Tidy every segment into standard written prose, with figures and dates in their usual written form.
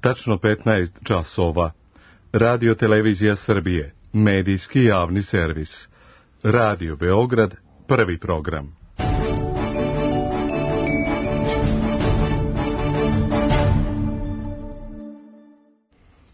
tačno 15 časova. Radio Televizija Srbije, medijski javni servis. Radio Beograd, prvi program.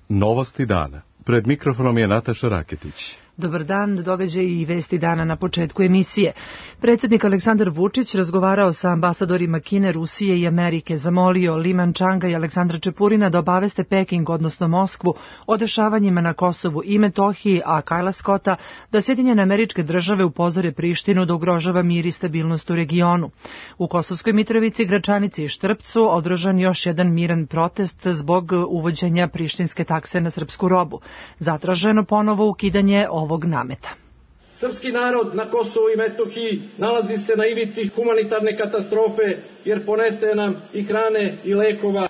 Novosti dana. Pred mikrofonom je Nataša Raketić. Dobar dan, događaji i vesti dana na početku emisije. Predsjednik Aleksandar Vučić razgovarao sa ambasadorima Kine, Rusije i Amerike, zamolio Li Mančanga i Aleksandra Čepurina da obaveste Peking, odnosno Moskvu, o dešavanjima na Kosovu i Metohiji, a Kajla Skota da Sjedinjene Američke Države upozore Prištinu da ugrožava mir i stabilnost u regionu. U Kosovskoj Mitrovici, Gračanici i Štrpcu održan još jedan miran protest zbog uvođenja prištinske takse na srpsku robu. Zatraženo ponovo ukidanje ovog nameta. Srpski narod na Kosovu i Metohiji nalazi se na ivici humanitarne katastrofe jer ponestaje nam i hrane i lekova.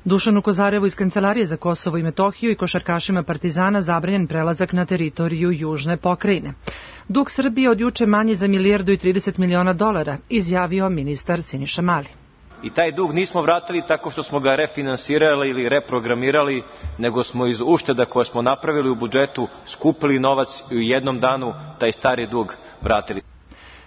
Dušanu Kozarevu iz Kancelarije za Kosovo i Metohiju i košarkašima Partizana zabranjen prelazak na teritoriju južne pokrajine. Dug Srbije od juče manji za $1,30 miliona, izjavio ministar Siniša Mali. I taj dug nismo vratili tako što smo ga refinansirali ili reprogramirali, nego smo iz ušteda koje smo napravili u budžetu skupili novac i u jednom danu taj stari dug vratili.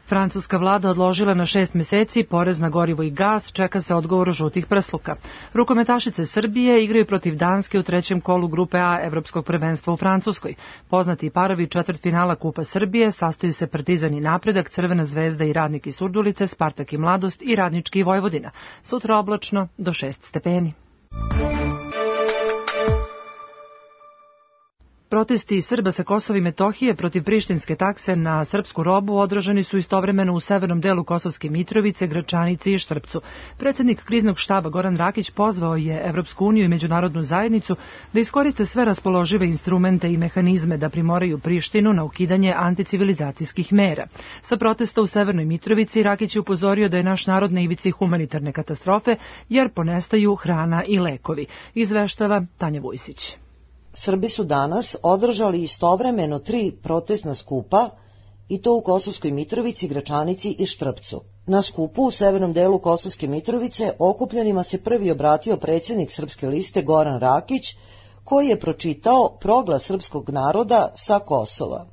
Francuska vlada odložila na 6 meseci porez na gorivo i gas, čeka se odgovor žutih prsluka. Rukometašice Srbije igraju protiv Danske u trećem kolu grupe A Evropskog prvenstva u Francuskoj. Poznati parovi četvrtfinala Kupa Srbije sastaju se Partizan i Napredak, Crvena zvezda i Radnik iz Surdulice, Spartak i Mladost i Radnički i Vojvodina. Sutra oblačno do 6 stepeni. Protesti Srba sa Kosova i Metohije protiv prištinske takse na srpsku robu održani su istovremeno u severnom delu Kosovske Mitrovice, Gračanici i Štrpcu. Predsjednik kriznog štaba Goran Rakić pozvao je Evropsku uniju i međunarodnu zajednicu da iskoriste sve raspoložive instrumente i mehanizme da primoraju Prištinu na ukidanje anticivilizacijskih mera. Sa protesta u severnoj Mitrovici Rakić je upozorio da je naš narod na ivici humanitarne katastrofe jer ponestaju hrana i lekovi. Izveštava Tanja Vujsić. Srbi su danas održali istovremeno 3 protestna skupa, i to u Kosovskoj Mitrovici, Gračanici i Štrpcu. Na skupu u severnom delu Kosovske Mitrovice okupljenima se prvi obratio predsjednik Srpske liste Goran Rakić, koji je pročitao proglas srpskog naroda sa Kosova.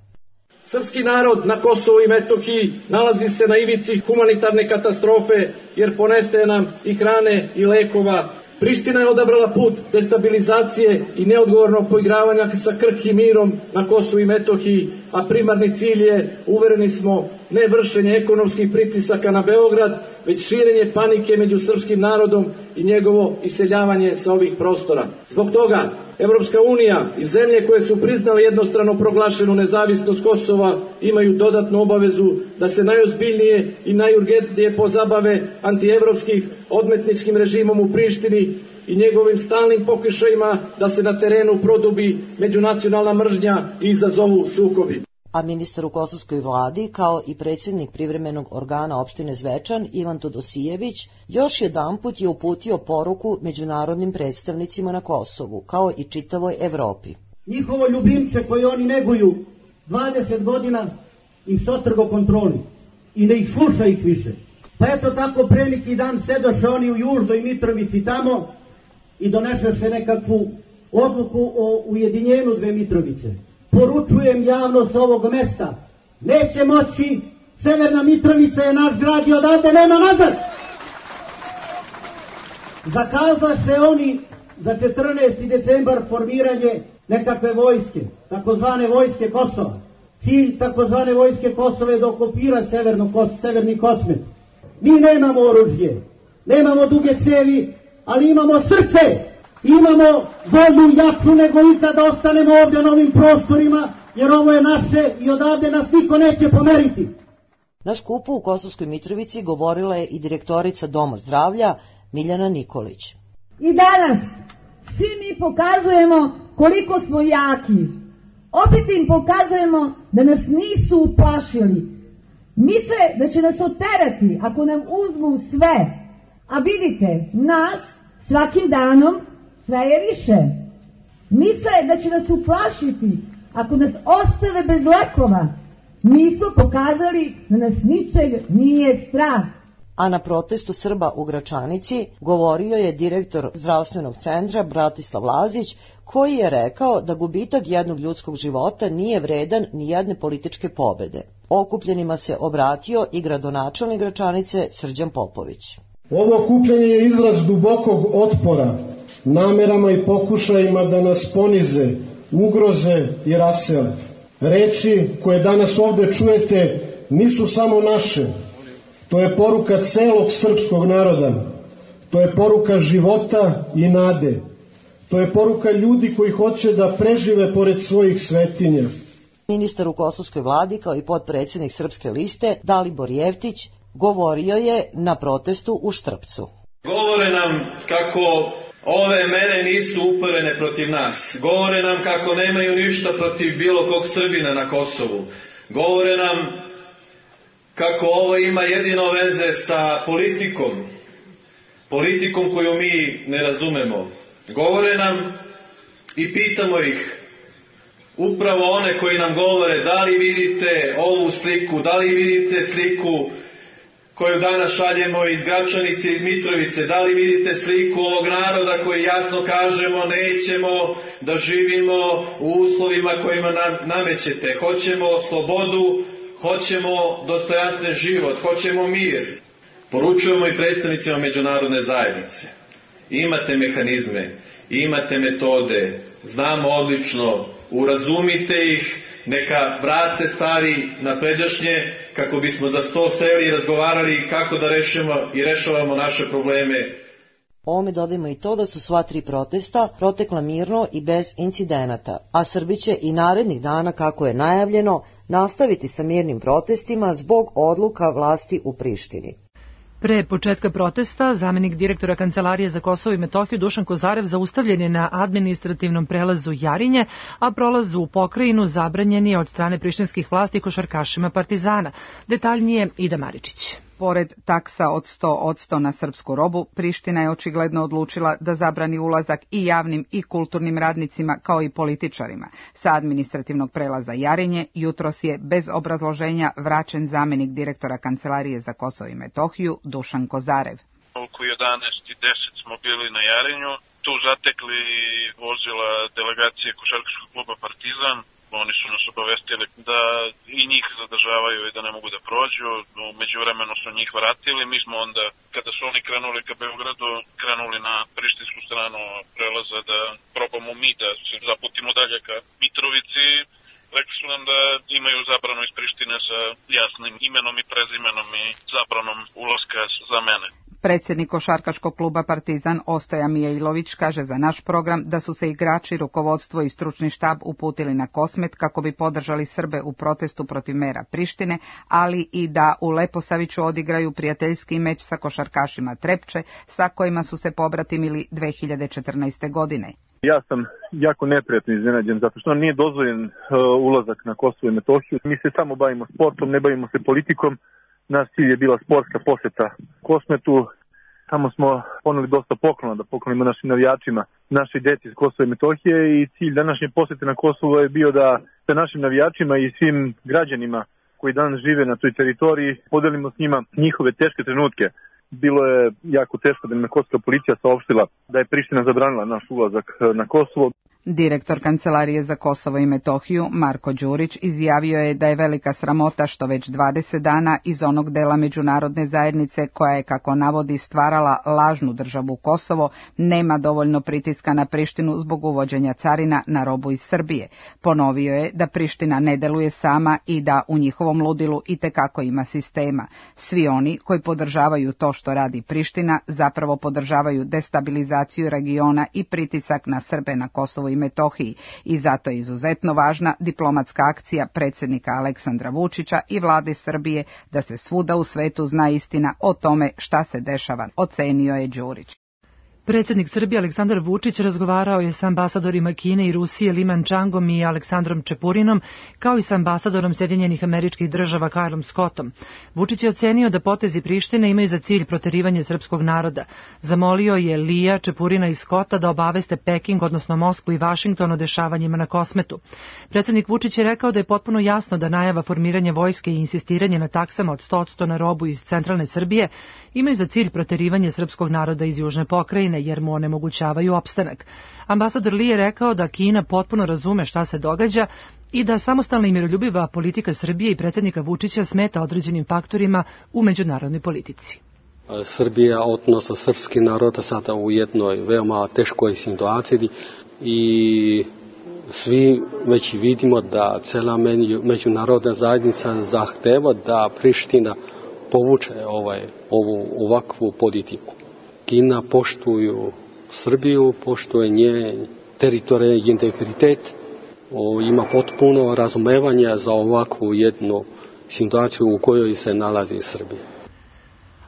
Srpski narod na Kosovu i Metohiji nalazi se na ivici humanitarne katastrofe jer ponestaje nam i hrane i lekova. Priština je odabrala put destabilizacije i neodgovornog poigravanja sa krhkim mirom na Kosovu i Metohiji, a primarni cilj je, uvereni smo, ne vršenje ekonomskih pritisaka na Beograd, već širenje panike među srpskim narodom i njegovo iseljavanje sa ovih prostora. Zbog toga, Evropska unija i zemlje koje su priznale jednostrano proglašenu nezavisnost Kosova imaju dodatnu obavezu da se najozbiljnije i najurgentnije pozabave antievropskih odmetničkim režimom u Prištini i njegovim stalnim pokušajima da se na terenu produbi međunacionalna mržnja i izazovu sukobi. A ministar u kosovskoj vladi, kao i predsjednik privremenog organa opštine Zvečan, Ivan Todosijević, još jedanput je uputio poruku međunarodnim predstavnicima na Kosovu, kao i čitavoj Evropi. Njihovo ljubimce koje oni neguju 20 godina im se otrgo kontroli i ne ih sluša ih više. Pa eto tako pre neki dan sedoše oni u Južnoj Mitrovici tamo i donešeše nekakvu odluku o ujedinjenju dve Mitrovice. Poručujem javnost ovog mesta, neće moći, Severna Mitrovica je naš grad i odavde nema nazad. Zakazaše oni za 14. decembar formiranje nekakve vojske, takozvane vojske Kosova. Cilj takozvane vojske Kosova je da okupira severni Kosmet. Mi nemamo oružje, nemamo duge cevi, ali imamo srce. Imamo volju jaču nego ikad da ostanemo ovdje na ovim prostorima, jer ovo je naše i odavde nas niko neće pomeriti. Na skupu u Kosovskoj Mitrovici govorila je i direktorica Doma zdravlja Miljana Nikolić. I danas svi mi pokazujemo koliko smo jaki. Opet im pokazujemo da nas nisu uplašili. Misle da će nas oterati ako nam uzmu sve. A vidite, nas svakim danom sve je više. Misle da će nas uplašiti ako nas ostave bez lekova. Mi smo pokazali da nas ničeg nije strah. A na protestu Srba u Gračanici govorio je direktor zdravstvenog centra Bratislav Lazić, koji je rekao da gubitak jednog ljudskog života nije vredan ni jedne političke pobede. Okupljenima se obratio i gradonačelnik Gračanice Srđan Popović. Ovo okupljanje je izraz dubokog otpora namerama i pokušajima da nas ponize, ugroze i rasele. Reči koje danas ovde čujete nisu samo naše. To je poruka celog srpskog naroda. To je poruka života i nade. To je poruka ljudi koji hoće da prežive pored svojih svetinja. Ministar u kosovskoj vladi kao i potpredsjednik Srpske liste Dalibor Jeftić govorio je na protestu u Štrpcu. Govore nam kako ove mere nisu uperene protiv nas. Govore nam kako nemaju ništa protiv bilo kog Srbina na Kosovu. Govore nam kako ovo ima jedino veze sa politikom koju mi ne razumemo. Govore nam i pitamo ih, upravo one koji nam govore, da li vidite ovu sliku, da li vidite sliku koju danas šaljemo iz Gračanice, iz Mitrovice, da li vidite sliku ovog naroda koji jasno kažemo nećemo da živimo u uslovima kojima nam namećete. Hoćemo slobodu, hoćemo dostojanstven život, hoćemo mir. Poručujemo i predstavnicima međunarodne zajednice. Imate mehanizme, imate metode, znamo odlično, urazumite ih, neka vrate stari na pređašnje, kako bismo za sto seli i razgovarali kako da rešavamo naše probleme. Ovome dodajmo i to da su sva tri protesta protekla mirno i bez incidenata, a Srbi će i narednih dana, kako je najavljeno, nastaviti sa mirnim protestima zbog odluka vlasti u Prištini. Pre početka protesta, zamenik direktora Kancelarije za Kosovo i Metohiju Dušan Kozarev zaustavljen je na administrativnom prelazu Jarinje, a prolaz u pokrajinu zabranjen je od strane prištinskih vlasti košarkašima Partizana. Detaljnije Ida Maričić. Pored taksa od 100% na srpsku robu, Priština je očigledno odlučila da zabrani ulazak i javnim i kulturnim radnicima kao i političarima. Sa administrativnog prelaza Jarinje jutros je bez obrazloženja vraćen zamenik direktora Kancelarije za Kosovo i Metohiju Dušan Kozarev. Oko 11:10 smo bili na Jarinju, tu zatekli vozila delegacije košarkaškog kluba Partizan. Oni su nas obavestili da i njih zadržavaju i da ne mogu da prođu. U međuvremenu su njih vratili. Mi smo onda, kada su oni krenuli ka Beogradu, krenuli na prištinsku stranu prelaza da probamo mi da se zaputimo dalje ka Mitrovici. Rekli su nam da imaju zabranu iz Prištine sa jasnim imenom i prezimenom i zabranom ulaska za mene. Predsjednik košarkaškog kluba Partizan Ostoja Mijailović kaže za naš program da su se igrači, rukovodstvo i stručni štab uputili na Kosmet kako bi podržali Srbe u protestu protiv mera Prištine, ali i da u Leposaviću odigraju prijateljski meč sa košarkašima Trepče, sa kojima su se pobratimili 2014. godine. Ja sam jako neprijatno iznenađen zato što nije dozvoljen ulazak na Kosovo i Metohiju. Mi se samo bavimo sportom, ne bavimo se politikom. Naš cilj je bila sportska poseta Kosmetu. Tamo smo poneli dosta poklona da poklonimo našim navijačima, našoj deci iz Kosova i Metohije, i cilj današnje posete na Kosovo je bio da sa našim navijačima i svim građanima koji danas žive na toj teritoriji podelimo s njima njihove teške trenutke. Bilo je jako teško da nam kosovska policija saopštila da je Priština zabranila naš ulazak na Kosovo. Direktor Kancelarije za Kosovo i Metohiju Marko Đurić izjavio je da je velika sramota što već 20 dana iz onog dela međunarodne zajednice koja je, kako navodi, stvarala lažnu državu Kosovo, nema dovoljno pritiska na Prištinu zbog uvođenja carina na robu iz Srbije. Ponovio je da Priština ne deluje sama i da u njihovom ludilu itekako ima sistema. Svi oni koji podržavaju to što radi Priština zapravo podržavaju destabilizaciju regiona i pritisak na Srbe na Kosovo i Metohiji, i zato je izuzetno važna diplomatska akcija predsjednika Aleksandra Vučića i vlade Srbije da se svuda u svetu zna istina o tome šta se dešava, ocenio je Đurić. Predsjednik Srbije Aleksandar Vučić razgovarao je sa ambasadorima Kine i Rusije Liman Changom i Aleksandrom Čepurinom, kao i sa ambasadorom Sjedinjenih Američkih Država Kylom Scottom. Vučić je ocenio da potezi Prištine imaju za cilj proterivanje srpskog naroda. Zamolio je Lija, Čepurina i Scotta da obaveste Peking, odnosno Moskvu i Vašington o dešavanjima na Kosmetu. Predsjednik Vučić je rekao da je potpuno jasno da najava formiranja vojske i insistiranje na taksama od 100% na robu iz centralne Srbije imaju za cilj proterivanje srpskog naroda iz južne pokrajine, jer mu onemogućavaju opstanak. Ambasador Li je rekao da Kina potpuno razume šta se događa i da samostalna i miroljubiva politika Srbije i predsjednika Vučića smeta određenim faktorima u međunarodnoj politici. Srbija, odnosno srpski narod, sada u jednoj veoma teškoj situaciji i svi već vidimo da cela međunarodna zajednica zahteva da Priština povuče ovakvu politiku. Kina poštuju Srbiju, poštuje njen teritorijalni integritet, ima potpuno razumevanje za ovakvu jednu situaciju u kojoj se nalazi Srbija.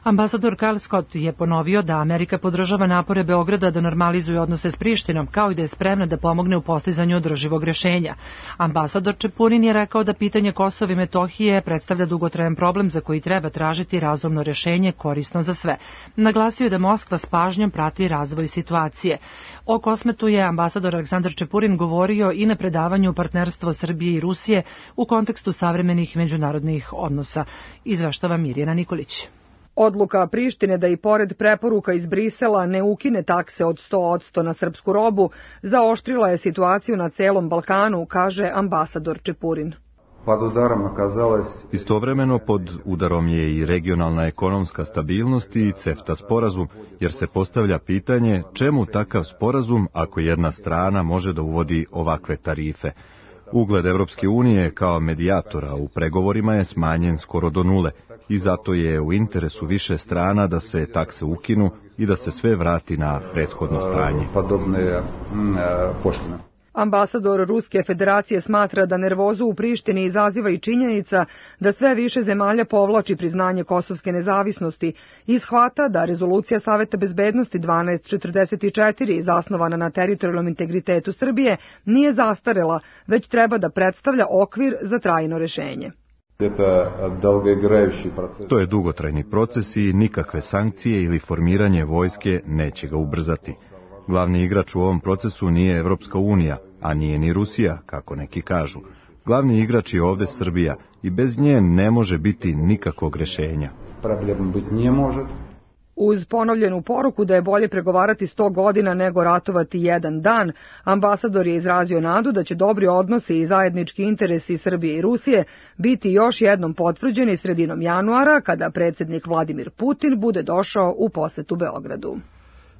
Ambasador Kyle Scott je ponovio da Amerika podržava napore Beograda da normalizuje odnose s Prištinom, kao i da je spremna da pomogne u postizanju održivog rješenja. Ambasador Čepurin je rekao da pitanje Kosova i Metohije predstavlja dugotrajan problem za koji treba tražiti razumno rješenje korisno za sve. Naglasio je da Moskva s pažnjom prati razvoj situacije. O Kosmetu je ambasador Aleksandar Čepurin govorio i na predavanju Partnerstvo Srbije i Rusije u kontekstu savremenih međunarodnih odnosa. Izveštava Mirjana Nikolić. Odluka Prištine da i pored preporuka iz Brisela ne ukine takse od 100% na srpsku robu zaoštrila je situaciju na celom Balkanu, kaže ambasador Čepurin. Istovremeno pod udarom je i regionalna ekonomska stabilnost i CEFTA sporazum, jer se postavlja pitanje čemu takav sporazum ako jedna strana može da uvodi ovakve tarife. Ugled Evropske unije kao medijatora u pregovorima je smanjen skoro do nule i zato je u interesu više strana da se takse ukinu i da se sve vrati na prethodno stanje. Ambasador Ruske federacije smatra da nervozu u Prištini izaziva i činjenica da sve više zemalja povlači priznanje kosovske nezavisnosti i shvata da rezolucija Saveta bezbednosti 1244 zasnovana na teritorijalnom integritetu Srbije nije zastarela, već treba da predstavlja okvir za trajno rješenje. To je dugotrajni proces i nikakve sankcije ili formiranje vojske neće ga ubrzati. Glavni igrač u ovom procesu nije Evropska unija, a nije ni Rusija, kako neki kažu. Glavni igrač je ovde Srbija i bez nje ne može biti nikakvog rješenja. Uz ponovljenu poruku da je bolje pregovarati 100 godina nego ratovati jedan dan, ambasador je izrazio nadu da će dobri odnosi i zajednički interesi Srbije i Rusije biti još jednom potvrđeni sredinom januara, kada predsjednik Vladimir Putin bude došao u posetu Beogradu.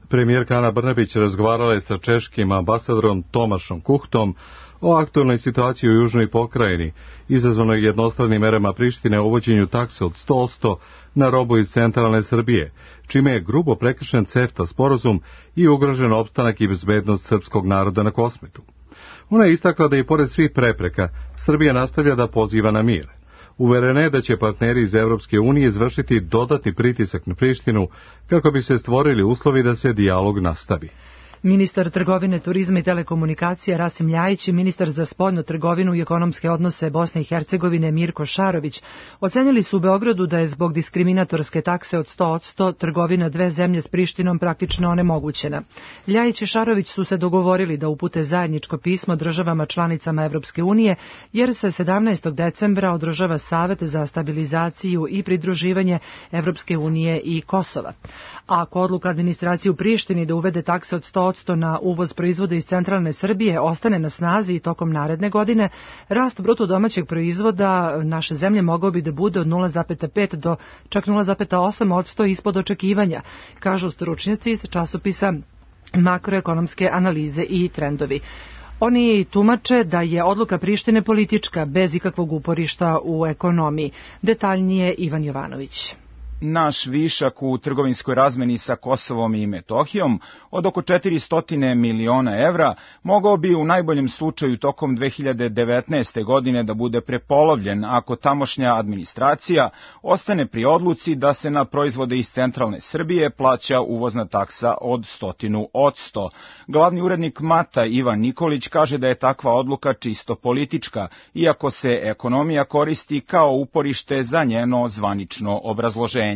Premijerka Ana Brnabić razgovarala je sa češkim ambasadorom Tomašom Kuhtom o aktualnoj situaciji u južnoj pokrajini, izazvanoj jednostranim merama Prištine o uvođenju takse od 100% na robu iz centralne Srbije, čime je grubo prekršen CEFTA sporazum i ugrožen opstanak i bezbednost srpskog naroda na Kosmetu. Ona je istakla da i pored svih prepreka Srbija nastavlja da poziva na mir. Uverena je da će partneri iz Evropske unije izvršiti dodatni pritisak na Prištinu kako bi se stvorili uslovi da se dijalog nastavi. Ministar trgovine, turizma i telekomunikacija Rasim Ljajić i ministar za spoljnu trgovinu i ekonomske odnose Bosne i Hercegovine Mirko Šarović ocenili su u Beogradu da je zbog diskriminatorske takse od 100% trgovina dve zemlje s Prištinom praktično onemogućena. Ljajić i Šarović su se dogovorili da upute zajedničko pismo državama članicama Evropske unije, jer se 17. decembra održava Savet za stabilizaciju i pridruživanje Evropske unije i Kosova. Ako odluka administracije u Prištini da uvede takse od 100% na uvoz proizvoda iz centralne Srbije ostane na snazi i tokom naredne godine, rast bruto domaćeg proizvoda naše zemlje mogao bi da bude od 0,5 do čak 0,8% ispod očekivanja, kažu stručnjaci iz časopisa Makroekonomske analize i trendovi. Oni tumače da je odluka Prištine politička, bez ikakvog uporišta u ekonomiji. Detaljnije Ivan Jovanović. Naš višak u trgovinskoj razmeni sa Kosovom i Metohijom od oko 400 miliona evra mogao bi u najboljem slučaju tokom 2019. godine da bude prepolovljen ako tamošnja administracija ostane pri odluci da se na proizvode iz centralne Srbije plaća uvozna taksa od 100%. Glavni urednik MATA Ivan Nikolić kaže da je takva odluka čisto politička, iako se ekonomija koristi kao uporište za njeno zvanično obrazloženje.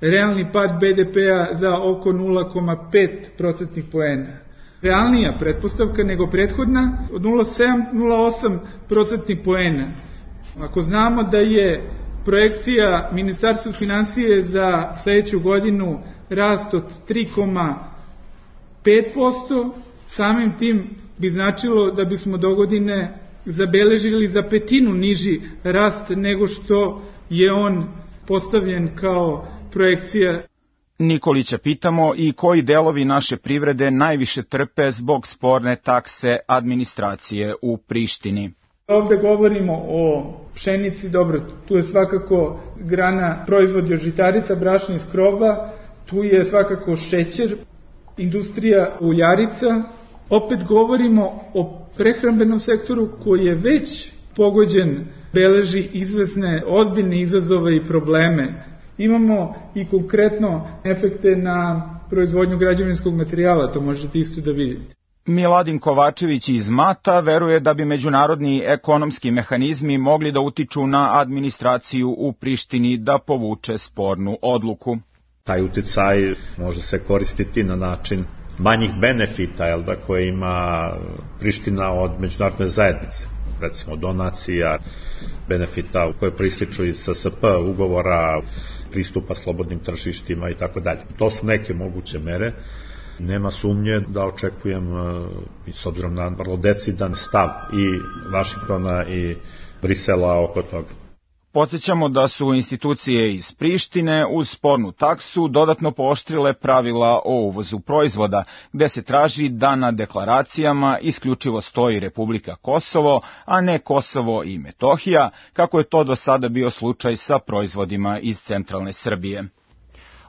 Realni pad BDP-a za oko 0,5% poena. Realnija pretpostavka nego prethodna od 0,7-0,8% poena. Ako znamo da je projekcija Ministarstva finansije za sledeću godinu rast od 3,5%, samim tim bi značilo da bismo dogodine zabeležili za petinu niži rast nego što je on postavljen kao projekcija. Nikolića pitamo i koji delovi naše privrede najviše trpe zbog sporne takse administracije u Prištini. Ovde govorimo o pšenici, dobro, tu je svakako grana proizvodi od žitarica, brašna i skroba, tu je svakako šećer, industrija uljarica. Opet govorimo o prehrambenom sektoru koji je već pogođen, beleži izvesne ozbiljne izazove i probleme. Imamo i konkretno efekte na proizvodnju građevinskog materijala, to možete isto da vidite. Miladin Kovačević iz MATA veruje da bi međunarodni ekonomski mehanizmi mogli da utiču na administraciju u Prištini da povuče spornu odluku. Taj uticaj može se koristiti na način manjih benefita koje ima Priština od međunarodne zajednice, recimo donacija, benefita koje prističu iz SSP, ugovora, pristupa slobodnim tržištima i tako dalje. To su neke moguće mere. Nema sumnje da očekujem, s obzirom na vrlo decidan stav i Vašingtona i Brisela oko toga. Podsjećamo da su institucije iz Prištine uz spornu taksu dodatno pooštrile pravila o uvozu proizvoda, gde se traži da na deklaracijama isključivo stoji Republika Kosovo, a ne Kosovo i Metohija, kako je to do sada bio slučaj sa proizvodima iz centralne Srbije.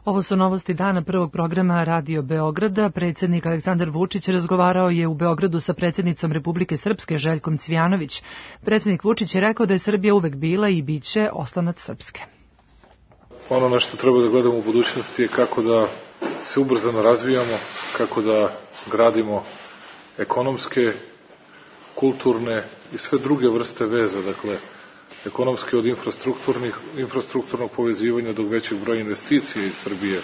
Ovo su novosti dana prvog programa Radio Beograda. Predsjednik Aleksandar Vučić razgovarao je u Beogradu sa predsjednicom Republike Srpske Željkom Cvijanović. Predsjednik Vučić je rekao da je Srbija uvek bila i bit će oslonac Srpske. Ono na što treba da gledamo u budućnosti je kako da se ubrzano razvijamo, kako da gradimo ekonomske, kulturne i sve druge vrste veza, dakle, ekonomski od infrastrukturnog povezivanja do većeg broja investicija iz Srbije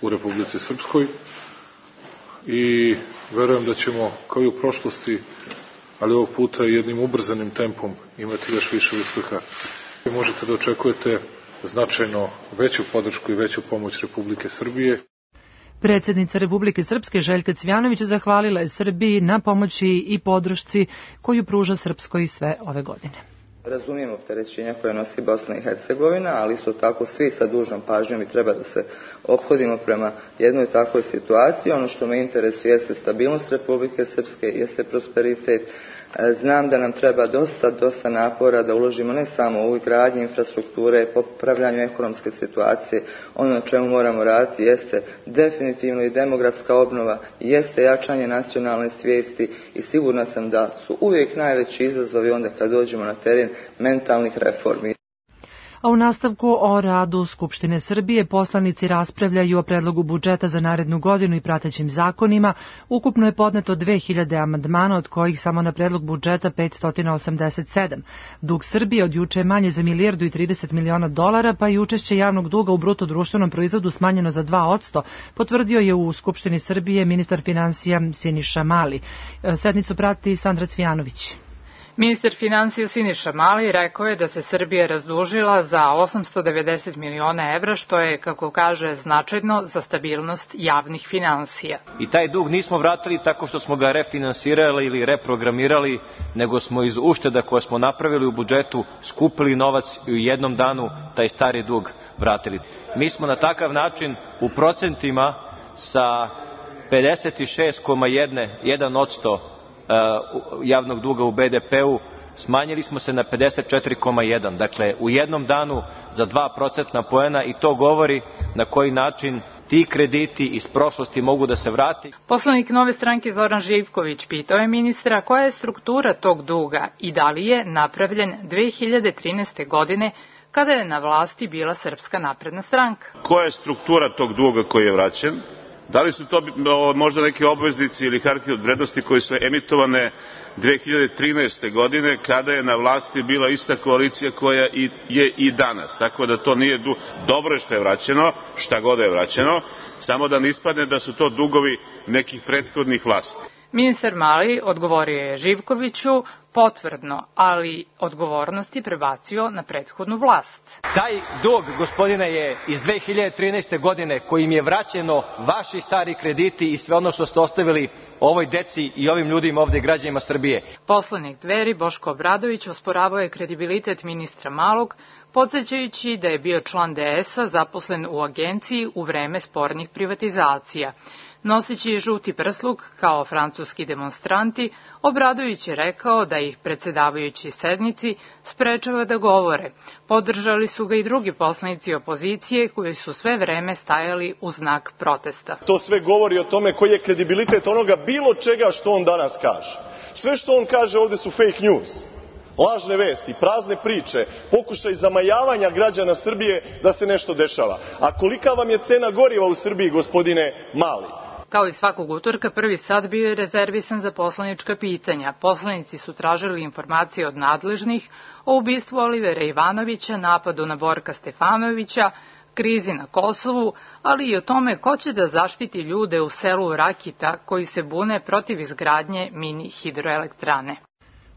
u Republici Srpskoj i verujem da ćemo kao i u prošlosti, ali ovog puta jednim ubrzanim tempom imati još više uspeha. Možete da očekujete značajno veću podršku i veću pomoć Republike Srbije. Predsjednica Republike Srpske Željka Cvijanović zahvalila je Srbiji na pomoći i podršci koju pruža Srpskoj sve ove godine. Razumijem opterećenja koje nosi Bosna i Hercegovina, ali isto tako svi sa dužnom pažnjom i treba da se ophodimo prema jednoj takvoj situaciji. Ono što me interesuje jeste stabilnost Republike Srpske, jeste prosperitet. Znam da nam treba dosta napora da uložimo ne samo u gradnju infrastrukture, popravljanju ekonomske situacije. Ono na čemu moramo raditi jeste definitivno i demografska obnova, jeste jačanje nacionalne svijesti i sigurna sam da su uvijek najveći izazovi onda kad dođemo na teren mentalnih reformi. A u nastavku o radu Skupštine Srbije poslanici raspravljaju o predlogu budžeta za narednu godinu i pratećim zakonima. Ukupno je podneto 2000 amandmana, od kojih samo na predlog budžeta 587. Dug Srbije od juče je manje za $1,30 miliona, pa i učešće javnog duga u bruto društvenom proizvodu smanjeno za 2%, potvrdio je u Skupštini Srbije ministar finansija Siniša Mali. Sednicu prati Sandra Cvijanović. Ministar finansija Siniša Mali rekao je da se Srbija razdužila za 890 miliona evra, što je, kako kaže, značajno za stabilnost javnih finansija. I taj dug nismo vratili tako što smo ga refinansirali ili reprogramirali, nego smo iz ušteda koje smo napravili u budžetu skupili novac i u jednom danu taj stari dug vratili. Mi smo na takav način u procentima sa 56,1% javnog duga u BDP-u smanjili smo se na 54,1. Dakle, u jednom danu za 2% poena i to govori na koji način ti krediti iz prošlosti mogu da se vrati. Poslanik Nove stranke Zoran Živković pitao je ministra koja je struktura tog duga i da li je napravljen 2013. godine kada je na vlasti bila Srpska napredna stranka. Koja je struktura tog duga koji je vraćen? Da li su to možda neke obveznici ili hartije od vrednosti koje su emitovane 2013. godine kada je na vlasti bila ista koalicija koja je i danas. Tako da to nije dobro što je vraćeno, šta god je vraćeno, samo da ne ispadne da su to dugovi nekih prethodnih vlasti. Ministar Mali odgovorio je Živkoviću potvrdno, ali odgovornosti prebacio na prethodnu vlast. Taj dug, gospodine, je iz 2013. godine kojim je vraćeno vaši stari krediti i sve ono što ste ostavili ovoj deci i ovim ljudima ovde građanima Srbije. Poslanik Dveri Boško Obradović osporavao je kredibilitet ministra Malog, podsjećajući da je bio član DS-a zaposlen u agenciji u vreme spornih privatizacija. Noseći žuti prsluk kao francuski demonstranti, Obradović je rekao da ih predsedavajući sednici sprečava da govore. Podržali su ga i drugi poslanici opozicije koji su sve vreme stajali u znak protesta. To sve govori o tome koji je kredibilitet onoga bilo čega što on danas kaže. Sve što on kaže ovde su fake news. Lažne vesti, prazne priče, pokušaj zamajavanja građana Srbije da se nešto dešava. A kolika vam je cena goriva u Srbiji, gospodine Mali? Kao i svakog utorka, prvi sat bio je rezervisan za poslanička pitanja. Poslanici su tražili informacije od nadležnih o ubistvu Olivera Ivanovića, napadu na Borka Stefanovića, krizi na Kosovu, ali i o tome ko će da zaštiti ljude u selu Rakita koji se bune protiv izgradnje mini hidroelektrane.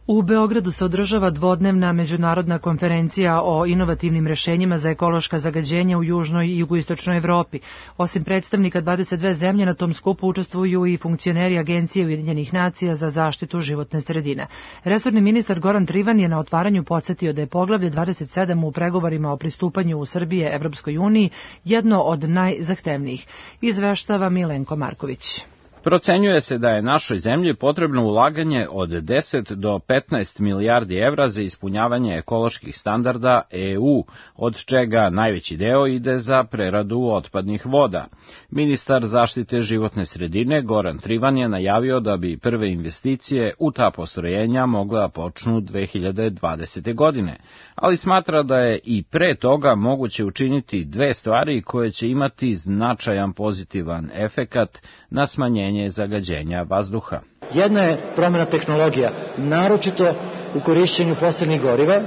U Beogradu se održava dvodnevna međunarodna konferencija o inovativnim rešenjima za ekološka zagađenja u južnoj i jugoistočnoj Evropi. Osim predstavnika 22 zemlje, na tom skupu učestvuju i funkcioneri Agencije Ujedinjenih nacija za zaštitu životne sredine. Resorni ministar Goran Trivan je na otvaranju podsjetio da je poglavlje 27 u pregovorima o pristupanju Srbije Evropskoj uniji jedno od najzahtevnijih. Izveštava Milenko Marković. Procenjuje se da je našoj zemlji potrebno ulaganje od 10 do 15 milijardi evra za ispunjavanje ekoloških standarda EU, od čega najveći deo ide za preradu otpadnih voda. Ministar zaštite životne sredine Goran Trivan je najavio da bi prve investicije u ta postrojenja mogla počnu 2020. godine, ali smatra da je i pre toga moguće učiniti dve stvari koje će imati značajan pozitivan efekat na smanjenje zagađenja vazduha. Jedna je promjena tehnologija, naročito u korišćenju fosilnih goriva,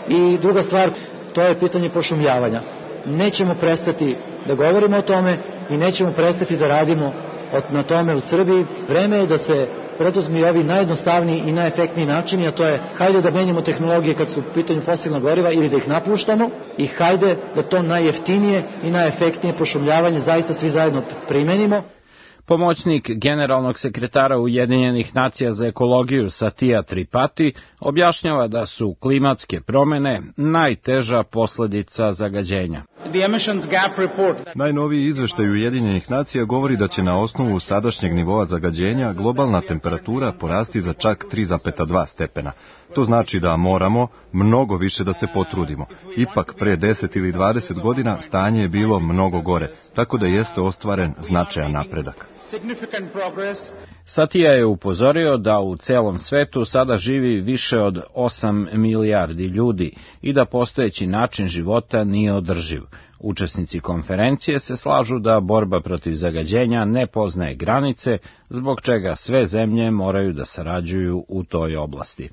i druga stvar, to je pitanje pošumljavanja. Nećemo prestati da govorimo o tome i nećemo prestati da radimo na tome u Srbiji. Vreme je da se preduzmi ovi najjednostavniji i najefektniji načini, a to je hajde da menjamo tehnologije kad su u pitanju fosilna goriva ili da ih napuštamo i hajde da to najjeftinije i najefektnije pošumljavanje zaista svi zajedno primenimo. Pomoćnik generalnog sekretara Ujedinjenih nacija za ekologiju Satya Tripathi objašnjava da su klimatske promene najteža posledica zagađenja. Najnoviji izveštaj Ujedinjenih nacija govori da će na osnovu sadašnjeg nivoa zagađenja globalna temperatura porasti za čak 3,2 stepena. To znači da moramo mnogo više da se potrudimo. Ipak pre 10 ili 20 godina stanje je bilo mnogo gore, tako da jeste ostvaren značajan napredak. Satya je upozorio da u celom svetu sada živi više od 8 milijardi ljudi i da postojeći način života nije održiv. Učesnici konferencije se slažu da borba protiv zagađenja ne poznaje granice, zbog čega sve zemlje moraju da sarađuju u toj oblasti.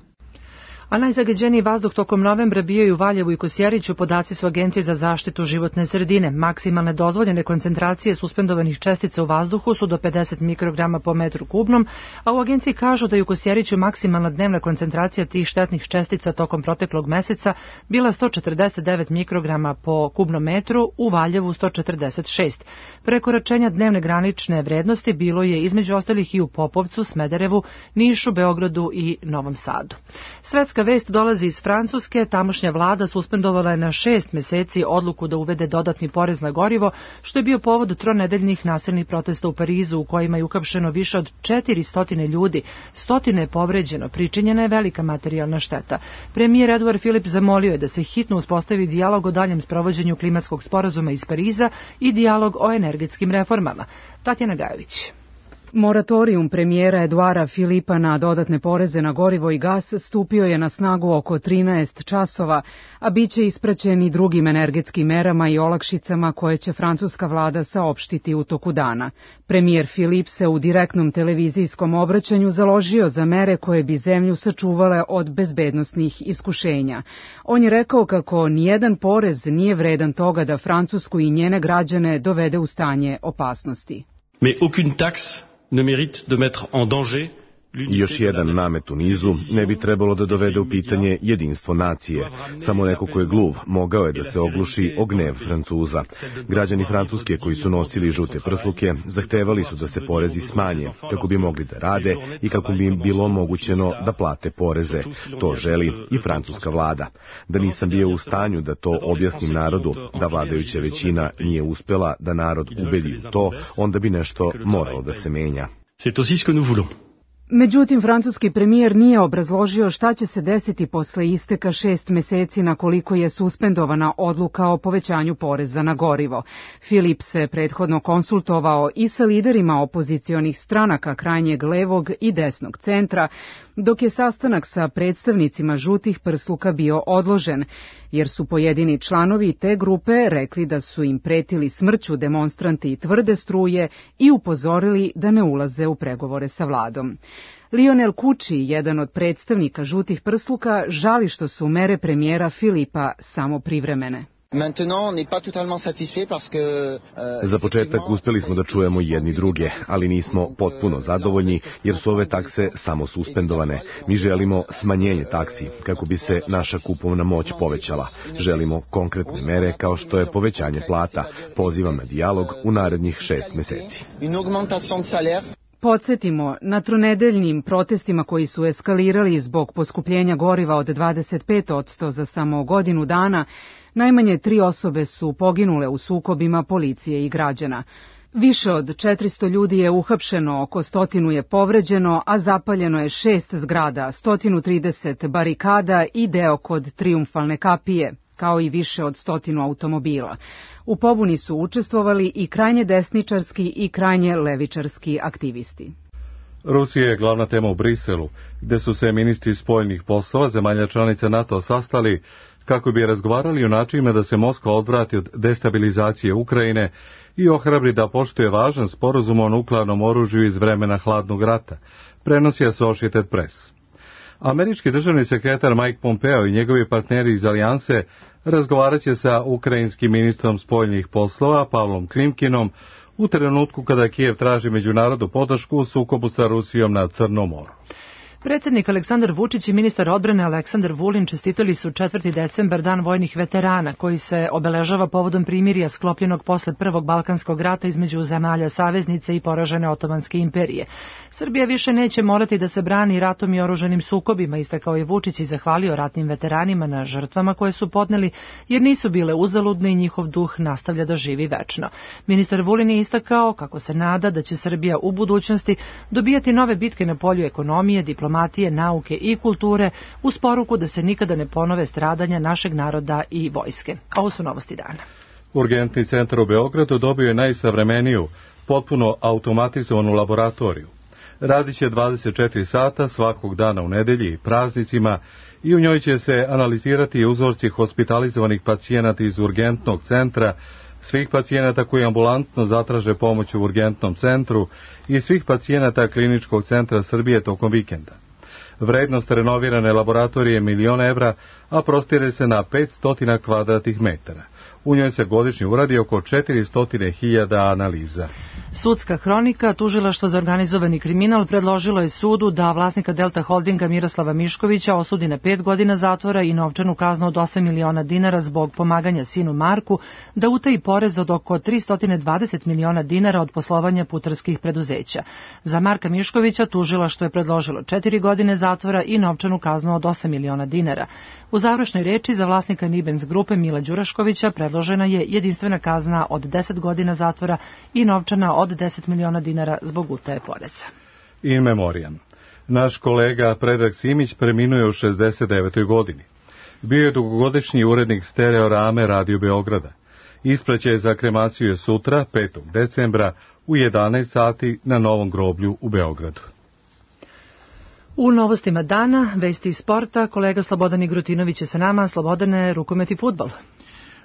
A najzagađeniji vazduh tokom novembra bio je u Valjevu i Kosjeriću, podaci su Agencije za zaštitu životne sredine. Maksimalne dozvoljene koncentracije suspendovanih čestica u vazduhu su do 50 mikrograma po metru kubnom, a u agenciji kažu da je u Kosjeriću maksimalna dnevna koncentracija tih štetnih čestica tokom proteklog meseca bila 149 mikrograma po kubnom metru, u Valjevu 146. Prekoračenja dnevne granične vrednosti bilo je između ostalih i u Popovcu, Smederevu, Nišu, Beogradu i Novom Sadu. Svetska Bliska vest dolazi iz Francuske. Tamošnja vlada suspendovala je na 6 meseci odluku da uvede dodatni porez na gorivo, što je bio povod tronedeljnih nasilnih protesta u Parizu, u kojima je uhapšeno više od 400 ljudi, stotine je povređeno, pričinjena je velika materijalna šteta. Premijer Eduard Philippe zamolio je da se hitno uspostavi dijalog o daljem sprovođenju klimatskog sporazuma iz Pariza i dijalog o energetskim reformama. Tatjana Gajović. Moratorijum premijera Eduara Filipa na dodatne poreze na gorivo i gas stupio je na snagu oko 13 časova, a bit će ispraćen i drugim energetskim merama i olakšicama koje će francuska vlada saopštiti u toku dana. Premijer Filip se u direktnom televizijskom obraćanju založio za mere koje bi zemlju sačuvale od bezbednosnih iskušenja. On je rekao kako nijedan porez nije vredan toga da Francusku i njene građane dovede u stanje opasnosti. Mais aucune taxe ne mérite de mettre en danger. I još jedan namet u nizu ne bi trebalo da dovede u pitanje jedinstvo nacije. Samo neko ko je gluv mogao je da se ogluši o gnev Francuza. Građani Francuske koji su nosili žute prsluke zahtevali su da se porezi smanje kako bi mogli da rade i kako bi im bilo omogućeno da plate poreze. To želi i francuska vlada. Da nisam bio u stanju da to objasnim narodu, da vladajuća većina nije uspela da narod ubedi u to, onda bi nešto moralo da se menja. C'est aussi ce que nous voulons. Međutim, francuski premijer nije obrazložio šta će se desiti posle isteka 6 meseci na koliko je suspendovana odluka o povećanju poreza na gorivo. Filip se prethodno konsultovao i sa liderima opozicionih stranaka krajnjeg levog i desnog centra, dok je sastanak sa predstavnicima žutih prsluka bio odložen, jer su pojedini članovi te grupe rekli da su im pretili smrću demonstranti tvrde struje i upozorili da ne ulaze u pregovore sa vladom. Lionel Kuči, jedan od predstavnika žutih prsluka, žali što su mere premijera Filipa samo privremene. Za početak uspeli smo da čujemo jedni druge, ali nismo potpuno zadovoljni jer su ove takse samo suspendovane. Mi želimo smanjenje taksi kako bi se naša kupovna moć povećala. Želimo konkretne mere kao što je povećanje plata. Pozivam na dijalog u narednih 6 meseci. Podsjetimo, na tronedeljnim protestima koji su eskalirali zbog poskupljenja goriva od 25% za samo godinu dana, najmanje 3 osobe su poginule u sukobima policije i građana. Više od 400 ljudi je uhapšeno, oko 100 je povređeno, a zapaljeno je 6 zgrada, 130 barikada i deo kod Trijumfalne kapije, kao i više od 100 automobila. U pobuni su učestvovali i krajnje desničarski i krajnje levičarski aktivisti. Rusija je glavna tema u Briselu, gde su se ministri spoljnih poslova zemalja članica NATO sastali kako bi razgovarali o načinima da se Moskva odvrati od destabilizacije Ukrajine i ohrabri da poštuje važan sporazum o nuklearnom oružju iz vremena hladnog rata, prenosi Associated Press. Američki državni sekretar Mike Pompeo i njegovi partneri iz Alijanse razgovarat će sa ukrajinskim ministrom spoljnih poslova Pavlom Klimkinom u trenutku kada Kijev traži međunarodnu podršku u sukobu sa Rusijom na Crnom moru. Predsjednik Aleksandar Vučić i ministar odbrane Aleksandar Vulin čestitali su 4. decembar Dan vojnih veterana, koji se obeležava povodom primirja sklopljenog posle Prvog Balkanskog rata između zemalja saveznice i poražene Otomanske imperije. Srbija više neće morati da se brani ratom i oružanim sukobima, istakao je Vučić i zahvalio ratnim veteranima na žrtvama koje su podneli, jer nisu bile uzaludne i njihov duh nastavlja da živi večno. Ministar Vulin je istakao kako se nada da će Srbija u budućnosti dobijati nove bitke na polju ekonomije, diplomatije, nauke i kulture, uz poruku da se nikada ne ponove stradanja našeg naroda i vojske. Ovo su novosti dana. Urgentni centar u Beogradu dobio je najsavremeniju, potpuno automatizovanu laboratoriju. Radit će 24 sata svakog dana u nedelji i praznicima i u njoj će se analizirati uzorci hospitalizovanih pacijenata iz urgentnog centra, svih pacijenata koji ambulantno zatraže pomoć u urgentnom centru i svih pacijenata Kliničkog centra Srbije tokom vikenda. Vrednost renovirane laboratorije je 1 milion evra, a prostire se na 500 kvadratnih metara. U njoj se godišnje uradi oko 400.000 analiza. Sudska hronika, tužilaštvo za organizovani kriminal predložilo je sudu da vlasnika Delta Holdinga Miroslava Miškovića osudi na 5 godina zatvora i novčanu kaznu od 8 miliona dinara zbog pomaganja sinu Marku da utaji porez od oko 320 miliona dinara od poslovanja putarskih preduzeća. Za Marka Miškovića tužilaštvo je predložilo 4 godine zatvora i novčanu kaznu od 8 miliona dinara. U završnoj reči za vlasnika Nibens grupe Mila Đuraškovića predložena je jedinstvena kazna od 10 godina zatvora i novčana od 10 miliona dinara zbog utaje poreza. In memoriam. Naš kolega Predrag Simić preminuo je u 69. godini. Bio je dugogodišnji urednik Stereorame Radio Beograda. Ispraćaj za kremaciju je sutra, 5. decembra, u 11 sati na Novom groblju u Beogradu. U novostima dana, vesti iz sporta, kolega Slobodan Igrotinović je sa nama. Slobodane, rukomet i fudbal.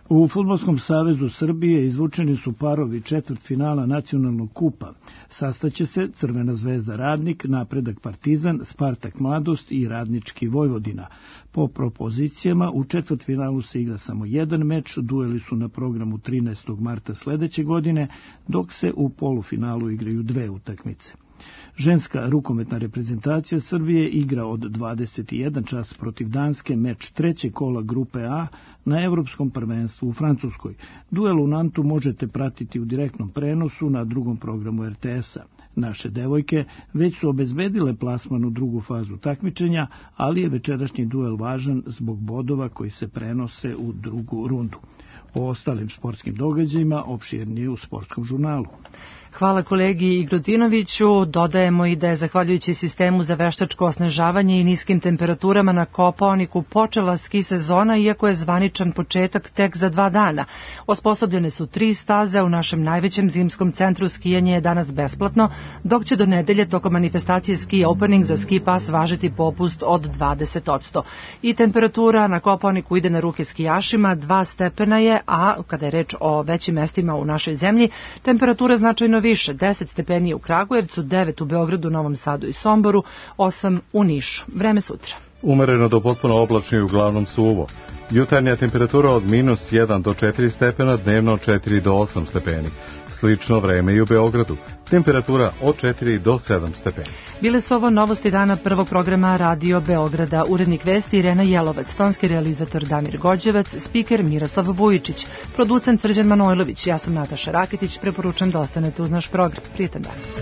U Fudbalskom savezu Srbije izvučeni su parovi četvrtfinala nacionalnog kupa. Sastaće se Crvena zvezda Radnik, Napredak Partizan, Spartak Mladost i Radnički Vojvodina. Po propozicijama u četvrtfinalu se igra samo jedan meč, dueli su na programu 13. marta sledeće godine, dok se u polufinalu igraju 2 utakmice. Ženska rukometna reprezentacija Srbije igra od 21 čas protiv Danske meč 3. kola grupe A na Evropskom prvenstvu u Francuskoj. Duel u Nantu možete pratiti u direktnom prenosu na drugom programu RTS-a. Naše devojke već su obezbedile plasman u drugu fazu takmičenja, ali je večerašnji duel važan zbog bodova koji se prenose u drugu rundu. O ostalim sportskim događajima opširnije u sportskom žurnalu. Hvala kolegi Igrotinoviću. Dodajemo i da je zahvaljujući sistemu za veštačko osnežavanje i niskim temperaturama na Kopaoniku počela ski sezona, iako je zvaničan početak tek za 2 dana. Osposobljene su 3 staze, u našem najvećem zimskom centru skijanje je danas besplatno, dok će do nedelje tokom manifestacije Ski Opening za ski pas važiti popust od 20%. I temperatura na Kopaoniku ide na ruke skijašima, 2 stepena je, a kada je reč o većim mestima u našoj zemlji, temperatura značajno više, 10 stepeni u Kragujevcu, 9 u Beogradu, Novom Sadu i Somboru, 8 u Nišu. Vreme sutra. Umereno do potpuno oblačno i uglavnom suvo. Jutarnja temperatura od -1 do 4 stepena, dnevno 4 do 8 stepeni. Slično vreme i u Beogradu. Temperatura od 4 do 7 stepeni. Bile su ovo novosti dana prvog programa Radio Beograda. Urednik vesti Irena Jelovac, tonski realizator Damir Gođevac, spiker Miroslav Vujičić, producent Srđan Manojlović. Ja sam Nataša Raketić, preporučam da ostanete uz naš program. Prijetan dan.